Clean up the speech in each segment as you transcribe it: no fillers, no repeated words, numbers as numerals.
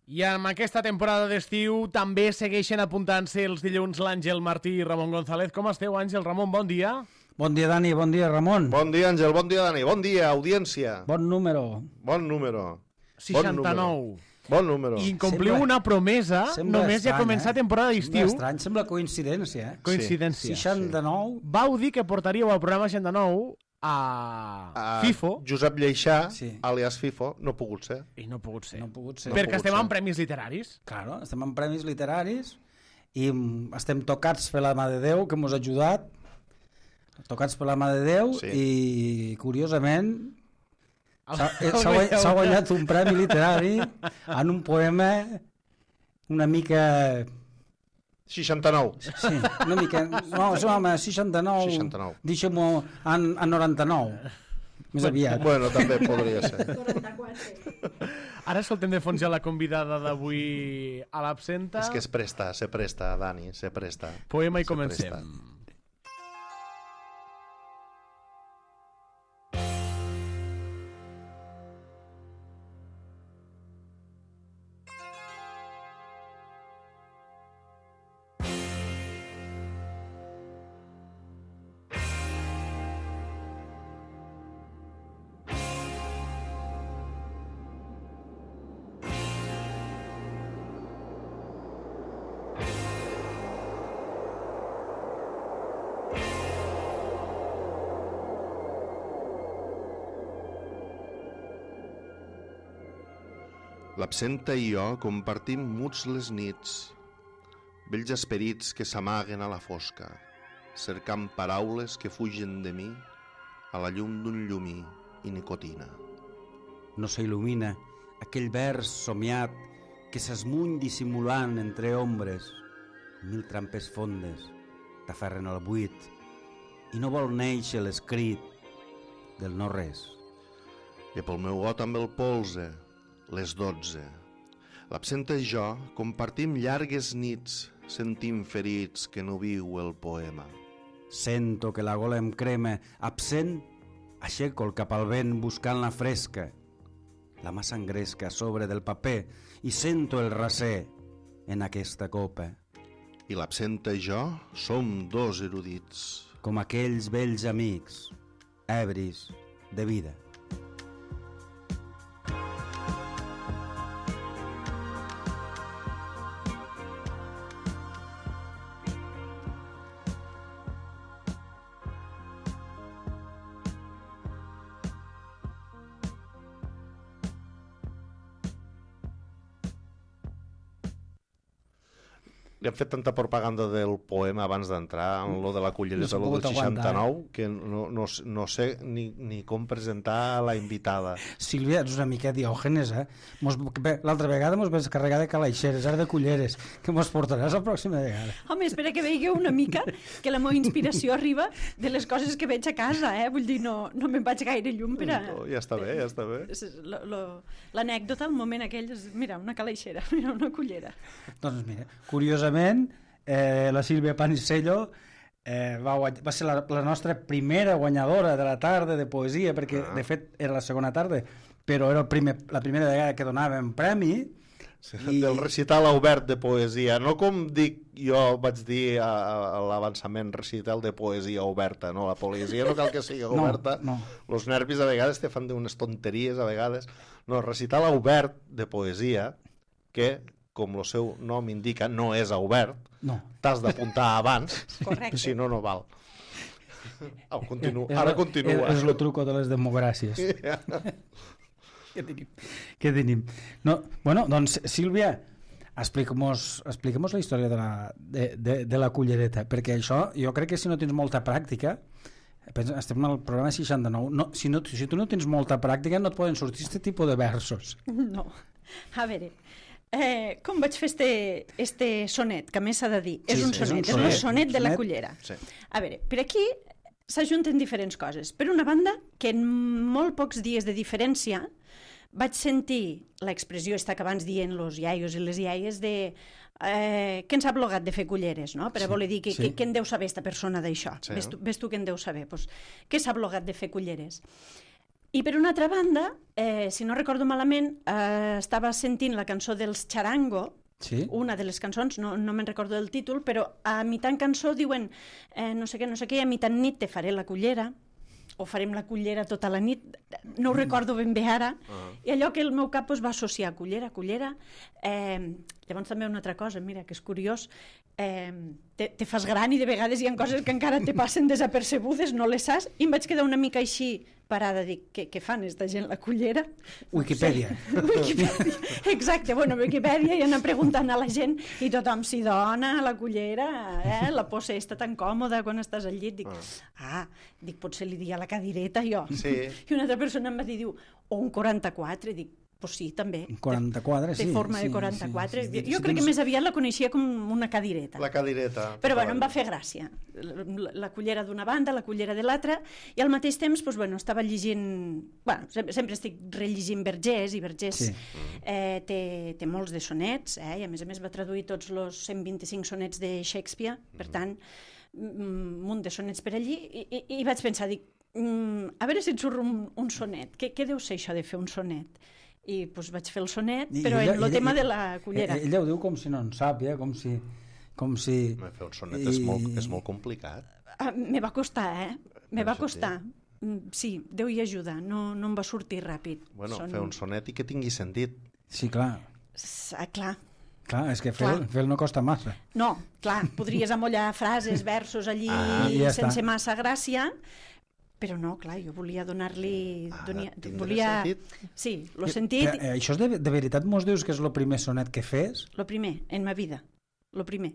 I amb aquesta temporada d'estiu també segueixen apuntant-se els dilluns l'Àngel Martí i Ramon González. Com esteu, Àngel? Ramon, bon dia. Bon dia, Dani, bon dia, Ramon. Bon dia, Àngel, bon dia, Dani, bon dia, audiència. Bon número. Bon número. 69. Bon número. I incompliu una promesa només ja començar temporada d'estiu. Sembla estrany, sembla coincidència. Coincidència. 69. Vau dir que portaríeu al programa 69 a FIFO. Josep Lleixà, alias FIFO, no ha pogut ser. I no ha pogut ser. No ha pogut ser. Perquè estem en premis literaris. Claro, estem en premis literaris i estem tocats per la mà de Déu, que ens ha ajudat. Tocats per la mà de Déu i, curiosament, s'ha guanyat un premi literari en un poema una mica... 69. Sí, una mica... No, home, 69. 69. Deixem-ho en 99. Més aviat. Bueno, també podria ser. 44. Ara escoltem de fons ja la convidada d'avui a l'absenta. És que se presta, Dani, se presta. Poema i comencem. L'absenta i jo compartim muts les nits, vells esperits que s'amaguen a la fosca, cercant paraules que fugen de mi a la llum d'un llumí i nicotina. No s'il·lumina aquell vers somiat que s'esmuny dissimulant entre ombres. Mil trampes fondes t'aferren al buit i no vol néixer l'escrit del no res. I pel meu got amb el polze, les 12. L'absenta i jo compartim llargues nits, sentim ferits que no viu el poema. Sento que la gola em crema, absent, aixeco el cap al vent buscant la fresca. La mà s'engresca a sobre del paper i sento el raser en aquesta copa. I l'absenta i jo som dos erudits. Com aquells vells amics, ebris de vida. Li han fet tanta propaganda del poema abans d'entrar en lo de la cullereta, lo del 69, que no sé ni com presentar la invitada. Sílvia, ets una mica diògenes, eh? L'altra vegada mos vas carregar de calaixeres, ara de culleres, que mos portaràs la pròxima vegada. Home, espera que veieu una mica que la meva inspiració arriba de les coses que veig a casa, eh? Vull dir, no me'n vaig gaire llum per a... No, ja està bé, ja està bé. L'anècdota, el moment aquell, és, mira, una calaixera, mira, una cullera. Doncs mira, curiosament, la Sílvia Panisello va ser la nostra primera guanyadora de la tarda de poesia, perquè de fet era la segona tarda, però era la primera vegada que donàvem premi. Del recital obert de poesia, no com jo vaig dir a l'avançament, recital de poesia oberta, no? La poesia no cal que sigui oberta, els nervis a vegades te fan d'unes tonteries a vegades, no, recital obert de poesia que, com el seu nom indica, no és obert, t'has d'apuntar abans, si no, no val. Ara continua. És el truco de les democràcies. Què tenim? No, bueno, doncs, Sílvia, explica-mos la història de la cullereta, perquè això, jo crec que si no tens molta pràctica, estem al programa 69, si tu no tens molta pràctica no et poden sortir aquest tipus de versos. No, a veure, com vaig fer este sonet, que a més s'ha de dir, és un sonet, és el sonet de la cullera. A veure, per aquí s'ajunten diferents coses. Per una banda, que en molt pocs dies de diferència vaig sentir l'expressió esta que abans dient los iaios i les iaies de què ens ha blogat de fer culleres, no? Per a voler dir què en deu saber esta persona d'això. Ves tu què en deu saber. Què s'ha blogat de fer culleres? I per una altra banda, si no recordo malament, estava sentint la cançó dels Charango, una de les cançons, no me'n recordo del títol, però a mitant cançó diuen no sé què, i a mitant nit te faré la cullera, o farem la cullera tota la nit, no ho recordo ben bé ara, i allò que el meu cap va associar cullera. Llavors també una altra cosa, mira, que és curiós, te fas gran i de vegades hi ha coses que encara te passen desapercebudes, no les saps, i em vaig quedar una mica així parada, dic, què fan esta gent, la cullera? Wikipedia. Exacte, bueno, Wikipedia, i anar preguntant a la gent, i tothom s'hi dona, la cullera, la posa està tan còmoda quan estàs al llit, dic, potser li dia la cadireta, jo. Sí. I una altra persona em va dir, o un 44, dic, pues sí, també. Un 44, sí. De forma de 44. Jo crec que més aviat la coneixia com una cadireta. La cadireta. Però bueno, em va fer gràcia. La cullera d'una banda, la cullera de l'altra, i al mateix temps, doncs, bueno, estava llegint... Bueno, sempre estic rellegint Vergés, i Vergés té molts de sonets, i a més va traduir tots els 125 sonets de Shakespeare, per tant, un munt de sonets per allí, i vaig pensar, dic, a veure si et surt un sonet. Què deu ser això de fer un sonet? I doncs vaig fer el sonet, però en el tema de la cullera. Ella ho diu com si no en sap, com si... Fer un sonet és molt complicat. Me va costar, Me va costar. Sí, Déu hi ajuda, no em va sortir ràpid. Bueno, fer un sonet i que tingui sentit. Sí, clar. Clar, és que fer-lo no costa massa. No, clar, podries amollar frases, versos allí sense massa gràcia, però no, clar, jo volia donar-li... Sí, el sentit... Això és de veritat, mos dius que és el primer sonet que fes? El primer, en ma vida, el primer.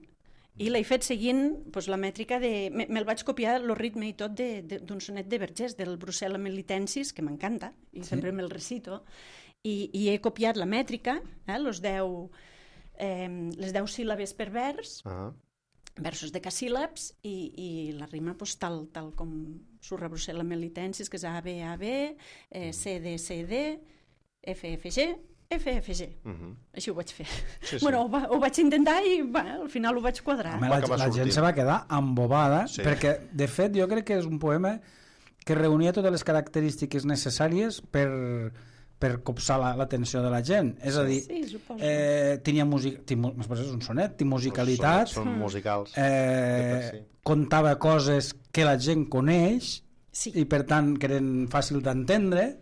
I l'he fet seguint la mètrica de... Me'l vaig copiar, el ritme i tot, d'un sonet de Vergés, del Brucella Melitensis, que m'encanta, i sempre me'l recito, i he copiat la mètrica, les 10 síl·labes per vers, versos decasíl·labs, i la rima tal com surra Brucella Melitensis, que és A, B, A, B, C, D, C, D, F, F, G, F, F, G. Així ho vaig fer. Bueno, ho vaig intentar i al final ho vaig quadrar. La gent se va quedar embobada, perquè de fet jo crec que és un poema que reunia totes les característiques necessàries per copsar l'atenció de la gent. És a dir, tenia música, és un sonet, té musicalitat, són musicals, contava coses que la gent coneix i per tant que eren fàcil d'entendre,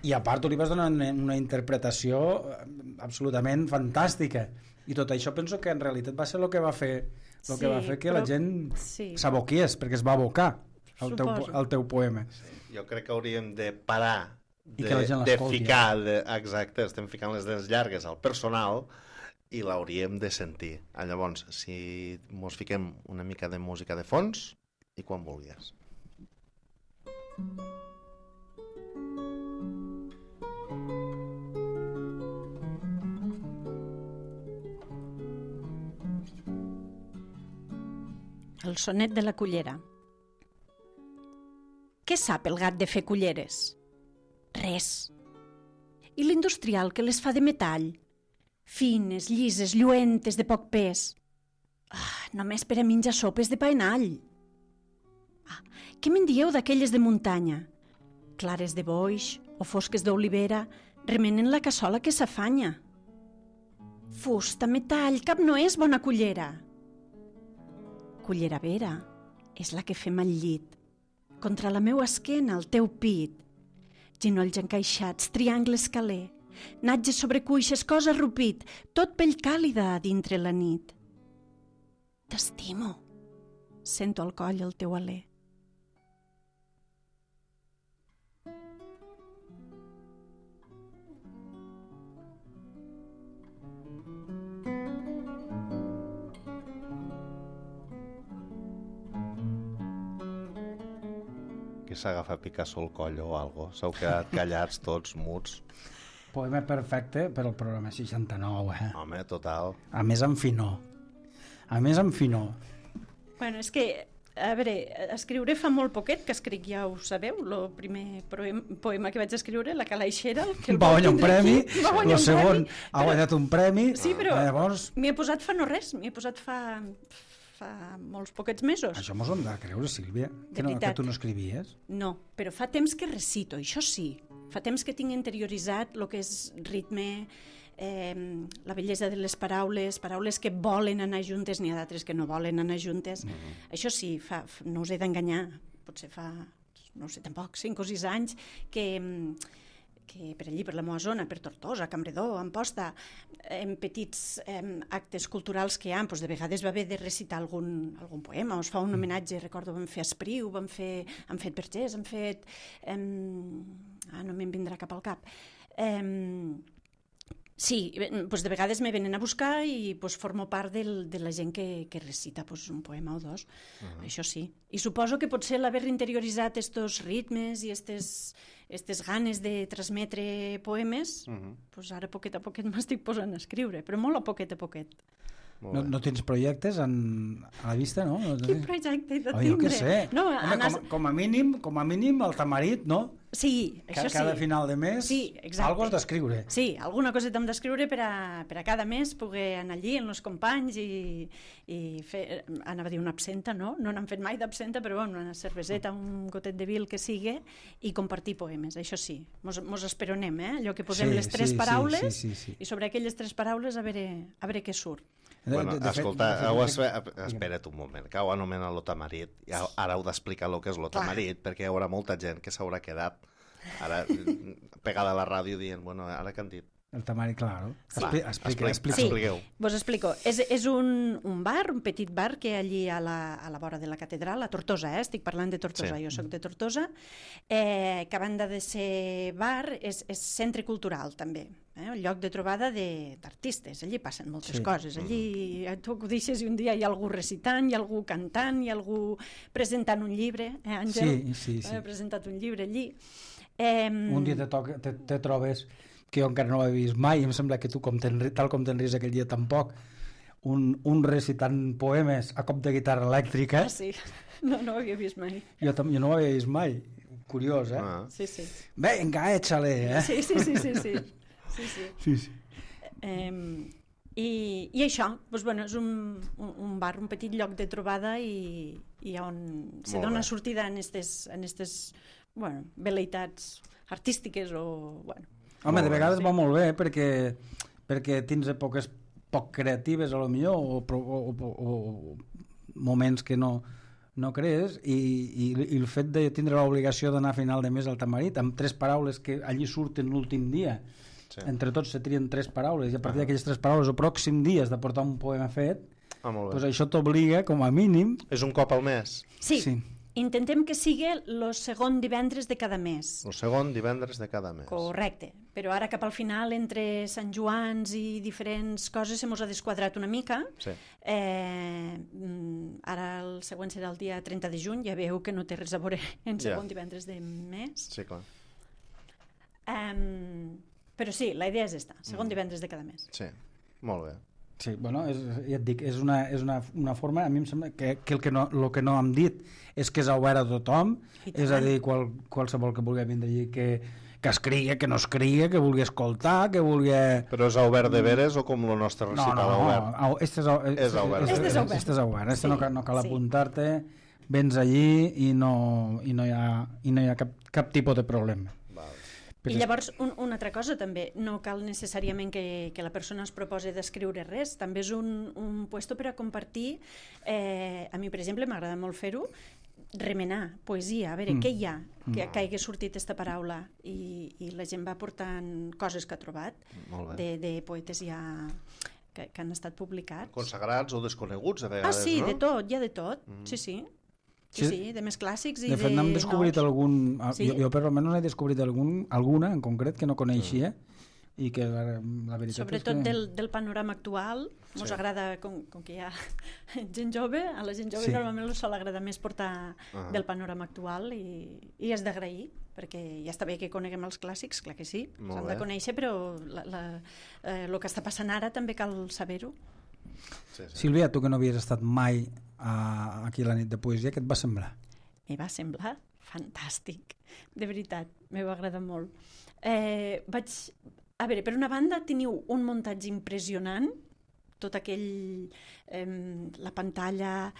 i a part li vas donar una interpretació absolutament fantàstica, i tot això penso que en realitat va ser el que va fer que la gent s'aboquies, perquè es va abocar al teu poema. Jo crec que hauríem de parar de ficar, exacte, estem ficant les dents llargues al personal i l'hauríem de sentir. Llavors, si mos fiquem una mica de música de fons i quan vulguis. El sonet de la cullera. Què sap el gat de fer culleres? Res. I l'industrial que les fa de metall? Fines, llises, lluentes, de poc pes. Només per a menjar sopes de pa en all. Què me'n dieu d'aquelles de muntanya? Clares de boix o fosques d'olivera remenen la cassola que s'afanya. Fusta, metall, cap no és bona cullera. Cullera vera és la que fem al llit, contra la meua esquena, el teu pit. Ginolls encaixats, triangle escaler, natges sobre cuixes, cos arrupit, tot pell càlida a dintre la nit. T'estimo, sento al coll el teu alè. Que s'agafa Picasso al coll o algo. S'heu quedat callats tots, muts. Poema perfecte per al programa 69, Home, total. A més en finor. Bueno, és que, a veure, escriure fa molt poquet que escric, ja ho sabeu, el primer poema que vaig escriure, La calaixera, que va guanyar un premi, el segon ha guanyat un premi. Sí, però m'hi he posat fa no res, m'hi he posat fa fa molts poquets mesos. Això mos ho hem de creure, Sílvia, que tu no escrivies. No, però fa temps que recito, això sí. Fa temps que tinc interioritzat el que és ritme, la bellesa de les paraules que volen anar juntes, n'hi ha d'altres que no volen anar juntes. Això sí, no us he d'enganyar, potser fa, no sé tampoc, 5 o 6 anys que per allí, per la meva zona, per Tortosa, Campredó, Amposta, en petits actes culturals que hi ha, de vegades va haver de recitar algun poema, o es fa un homenatge, recordo, vam fer Espriu, han fet Vergés, han fet... no me'n vindrà cap al cap. Sí, de vegades me venen a buscar i formo part de la gent que recita un poema o dos, això sí. I suposo que potser l'haver interioritzat estos ritmes i estes ganes de transmetre poemes, ara poquet a poquet m'estic posant a escriure, però molt a poquet a poquet. No tens projectes a la vista, no? Quin projecte he de tindre? Jo què sé. No, com a mínim el tamarit, no? Sí, això sí. Cada final de mes, algo has d'escriure. Sí, alguna coseta hem d'escriure per a cada mes poder anar allí amb els companys i fer, anava a dir una absenta, no? No n'han fet mai d'absenta, però una cerveseta, un gotet de vi, el que sigui, i compartir poemes, això sí. Mos esperonem, allò que posem les 3 paraules i sobre aquelles 3 paraules a veure què surt. Bueno, escolta, espera't un moment, que ho anomena l'otamarit, ara heu d'explicar el que és l'otamarit, perquè hi haurà molta gent que s'haurà quedat ara pegada a la ràdio dient, bueno, ara que han dit. El tamarit, claro. Expliqueu. Vos explico. És un bar, un petit bar que hi ha allí a la vora de la catedral, a Tortosa, estic parlant de Tortosa, jo soc de Tortosa, que a banda de ser bar és centre cultural també, un lloc de trobada d'artistes, allí passen moltes coses, allí tu acudixes i un dia hi ha algú recitant, hi ha algú cantant, hi ha algú presentant un llibre, Àngel? Sí. Ha presentat un llibre allí. Un dia te trobes que jo encara no l'he vist mai, i em sembla que tu, tal com t'enries aquell dia tampoc, un recitant poemes a cop de guitarra elèctrica. Sí, no ho havia vist mai. Jo no ho havia vist mai. Curiós, Sí. Vinga, échale, Sí. I això, és un bar, un petit lloc de trobada i on se dona sortida en aquestes vel·leïtats artístiques o... Home, de vegades va molt bé perquè tens èpoques poc creatives a lo millor o moments que no crees i el fet de tindre l'obligació d'anar a final de mes al tamarit amb 3 paraules que allí surten l'últim dia, entre tots se trien 3 paraules i a partir d'aquelles 3 paraules el pròxim dia has de portar un poema fet, doncs això t'obliga com a mínim... És un cop al mes? Sí. Intentem que sigui el segon divendres de cada mes. El segon divendres de cada mes. Correcte, però ara cap al final, entre Sant Joans i diferents coses, se mos ha desquadrat una mica. Sí. Ara el següent serà el dia 30 de juny, ja veieu que no té res a veure en segon divendres de mes. Sí, clar. Però sí, la idea és esta, segon divendres de cada mes. Sí, molt bé. Sí, bueno, ja et dic, és una forma, a mi em sembla que el que no hem dit és que és obert a tothom, és a dir, qualsevol que vulgui vindre allí que escrigui, que no escrigui, que vulgui escoltar, que vulgui... Però és obert de veres o com el nostre recital obert? No, este és obert, no cal apuntar-te, vens allí i no hi ha cap tipus de problema. I llavors, una altra cosa també, no cal necessàriament que la persona es proposi d'escriure res, també és un puesto per a compartir, a mi per exemple m'agrada molt fer-ho, remenar poesia, a veure què hi ha que hagi sortit aquesta paraula i la gent va portant coses que ha trobat de poetes ja que han estat publicats. Consagrats o desconeguts a vegades, no? Ah, sí, no? de tot, hi ha de tot, sí. Sí, de més clàssics i de nous. De fet, n'hem descobrit algun... Jo per almenys n'he descobrit alguna en concret que no coneixia i que la veritat sobretot és que... del panorama actual ens agrada, com que hi ha gent jove, a la gent jove normalment els sol agradar més portar del panorama actual i és d'agrair, perquè ja està bé que coneguem els clàssics, clar que sí, s'han de conèixer, però el que està passant ara també cal saber-ho. Sílvia, tu que no havies estat mai aquí a la nit de poesia, què et va semblar? Me va semblar fantàstic, de veritat, me va agradar molt. A veure, per una banda teniu un muntatge impressionant, tot aquell... la pantalla,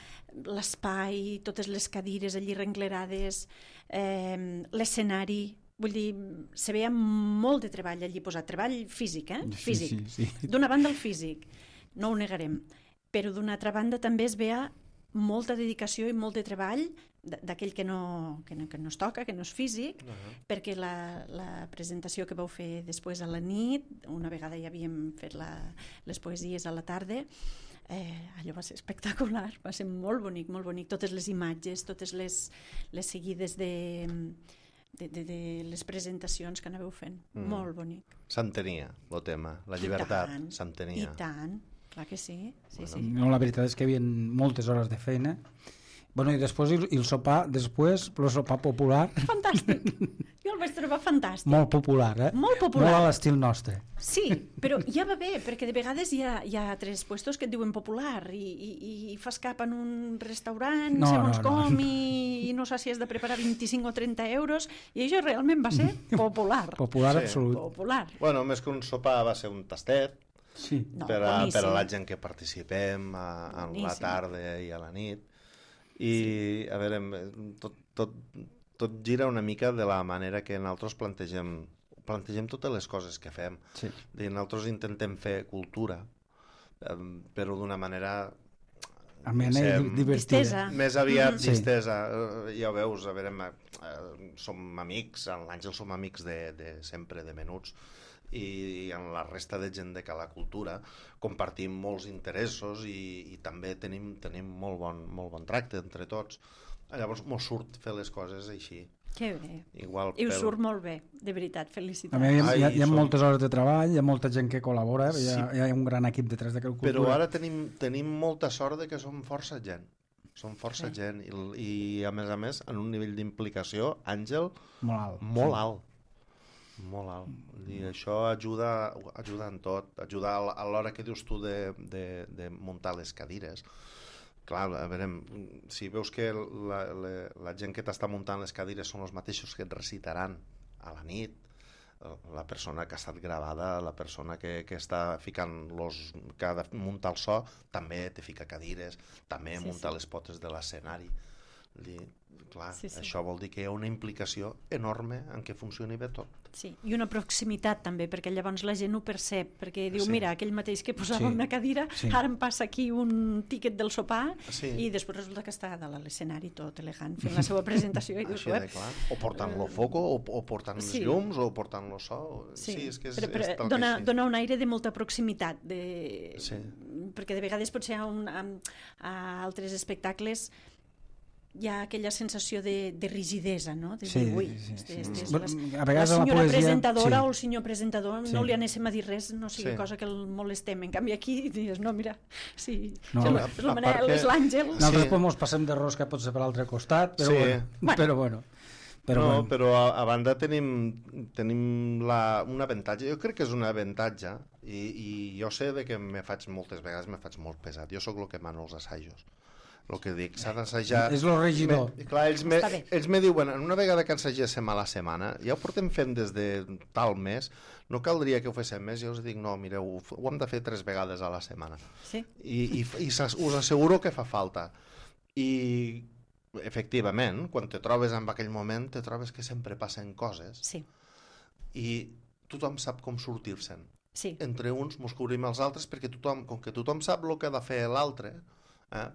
l'espai, totes les cadires allí renglerades, l'escenari... Vull dir, se veia molt de treball allí posat, treball físic, físic. Sí. D'una banda el físic, no ho negarem, però d'una altra banda també es veia molta dedicació i molt de treball d'aquell que no es toca, que no és físic, perquè la presentació que vau fer després a la nit, una vegada ja havíem fet les poesies a la tarda, allò va ser espectacular, va ser molt bonic, totes les imatges, totes les seguides de les presentacions que anàveu fent. Molt bonic. S'entenia, el tema. La llibertat, s'entenia. I tant, clar que sí. No, la veritat és que hi havia moltes hores de feina. Bueno, i després el sopar, el sopar popular. Fantàstic. Jo el vaig trobar fantàstic. Molt popular, Molt popular. Molt a l'estil nostre. Sí, però ja va bé, perquè de vegades hi ha 3 puestos que et diuen popular i fas cap en un restaurant, com, i no saps si has de preparar 25 o 30 euros, i això realment va ser popular. Popular, absolut. Popular. Bueno, més que un sopar va ser un tastet, sí. per a la gent que participem a la tarda i a la nit. I, a veure, tot gira una mica de la manera que nosaltres plantegem totes les coses que fem. Sí. Nosaltres intentem fer cultura, però d'una manera... amena i divertida. Més aviat distesa. Ja ho veus, a veure, som amics, en l'Àngel som amics de sempre, de menuts, i en la resta de gent de Cala Cultura compartim molts interessos i també tenim molt bon tracte entre tots. Llavors mos surt fer les coses així. Que bé. Igual I us surt molt bé, de veritat, felicitats. A mi hi ha moltes hores de treball, hi ha molta gent que col·labora, hi ha un gran equip detrás de Cala Cultura. Però ara tenim molta sort de que som força gent. Som força gent i a més en un nivell d'implicació, Àngel, molt alt. Molt alt. I això ajuda en tot. Ajuda a l'hora que dius tu de muntar les cadires. Clar, a veure, si veus que la gent que t'està muntant les cadires són els mateixos que et recitaran a la nit, la persona que ha estat gravada, la persona que està ficant que ha de muntar el so, també te fica cadires, també munta les potes de l'escenari. Clar, això vol dir que hi ha una implicació enorme en què funcioni bé tot. Sí, i una proximitat també, perquè llavors la gent ho percep, perquè diu, mira, aquell mateix que posava una cadira, ara em passa aquí un tíquet del sopar, i després resulta que està a l'escenari tot elegant, fent la seva presentació. I dius, o portant-lo foco, o portant les llums, o portant-lo so. Sí, és que és tal dona un aire de molta proximitat, perquè de vegades potser a altres espectacles hi ha aquella sensació de rigidesa, no? De dir, ui, la senyora presentadora o el senyor presentador no li anéssim a dir res, no sigui cosa que el molestem. En canvi aquí dius, no, mira, és la Manel, és l'Àngel. Nosaltres ens passem de rosca potser per l'altre costat, però bueno. Però a banda tenim un avantatge, jo crec que és un avantatge, i jo sé que moltes vegades me faig molt pesat. Jo sóc el que mano els assajos. El que dic, s'ha d'assajar... És el regidor. Clar, ells me diuen, una vegada que ensagéssim a la setmana, ja ho portem fent des de tal mes, no caldria que ho féssim més, jo us dic, no, mireu, ho hem de fer 3 vegades a la setmana. Sí. I us asseguro que fa falta. I, efectivament, quan te trobes en aquell moment, te trobes que sempre passen coses. Sí. I tothom sap com sortir-se'n. Sí. Entre uns mos cobrim els altres, perquè com que tothom sap el que ha de fer l'altre,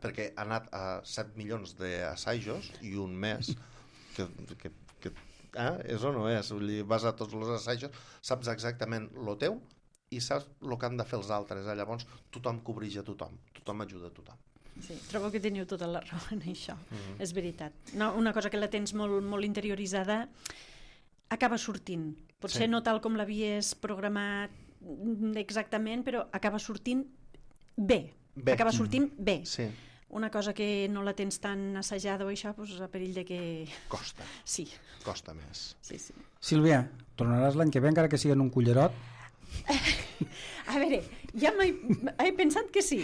perquè ha anat a 7 milions d'assajos i un mes és o no és, vas a tots els assajos, saps exactament el teu i saps el que han de fer els altres, llavors tothom cobreix a tothom ajuda a tothom. Sí, trobo que teniu tota la raó en això, és veritat. No, una cosa que la tens molt interioritzada acaba sortint, potser no tal com l'havies programat exactament, però acaba sortint bé. Acaba sortint bé. Sí. Una cosa que no la tens tan assajada o això, doncs a perill de que... Costa. Sí. Costa més. Sí. Sílvia, tornaràs l'any que ve encara que sigui en un cullerot? A veure, ja he pensat que sí,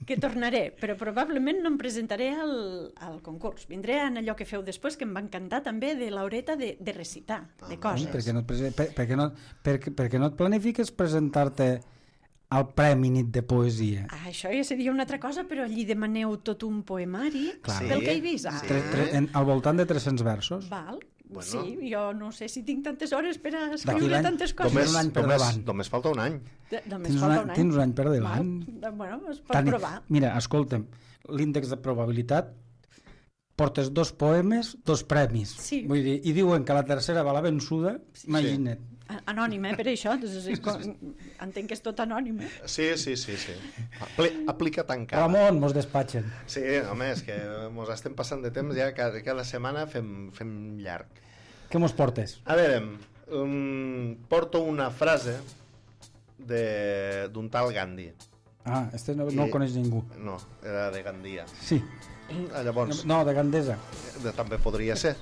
que tornaré, però probablement no em presentaré al concurs. Vindré en allò que feu després, que em va encantar també, de l'horeta de recitar, de coses. Per què no et planifiques presentar-te al Premi Nit de Poesia? Això ja seria una altra cosa, però allí demaneu tot un poemari del que he vist. Al voltant de 300 versos. Val. Bueno. Sí, jo no sé si tinc tantes hores per a escriure tantes coses. Només falta un any. Tens un any per davant. Bueno, es pot provar. Mira, escolta'm, l'índex de probabilitat, portes 2 poemes, 2 premis. Sí. Vull dir, i diuen que la tercera va la vençuda, imagina't. Anònim, per això. Entenc que és tot anònim, Sí. Aplica't encara. Ramon, mos despatxen. Sí, home, és que mos estem passant de temps ja, cada setmana fem llarg. Què mos portes? A veure, porto una frase d'un tal Gandhi. Este no el coneix ningú. No, era de Gandia. Sí. Llavors... No, de Gandesa. També podria ser.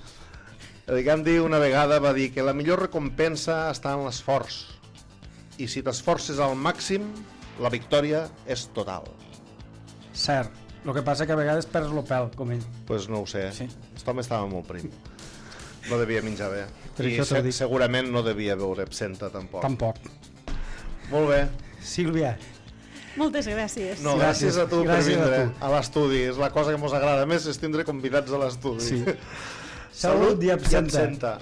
El Gandhi una vegada va dir que la millor recompensa està en l'esforç. I si t'esforces al màxim, la victòria és total. Cert. El que passa que a vegades perds el pèl, com ell. Pues no ho sé. Sí. Aquest home estava molt prim. No devia menjar bé. I segurament no devia beure absenta, tampoc. Tampoc. Molt bé. Sílvia. Moltes gràcies. No, gràcies a tu per vindre a l'estudi. És la cosa que ens agrada més, és tindre convidats a l'estudi. Sí. Salut i absenta.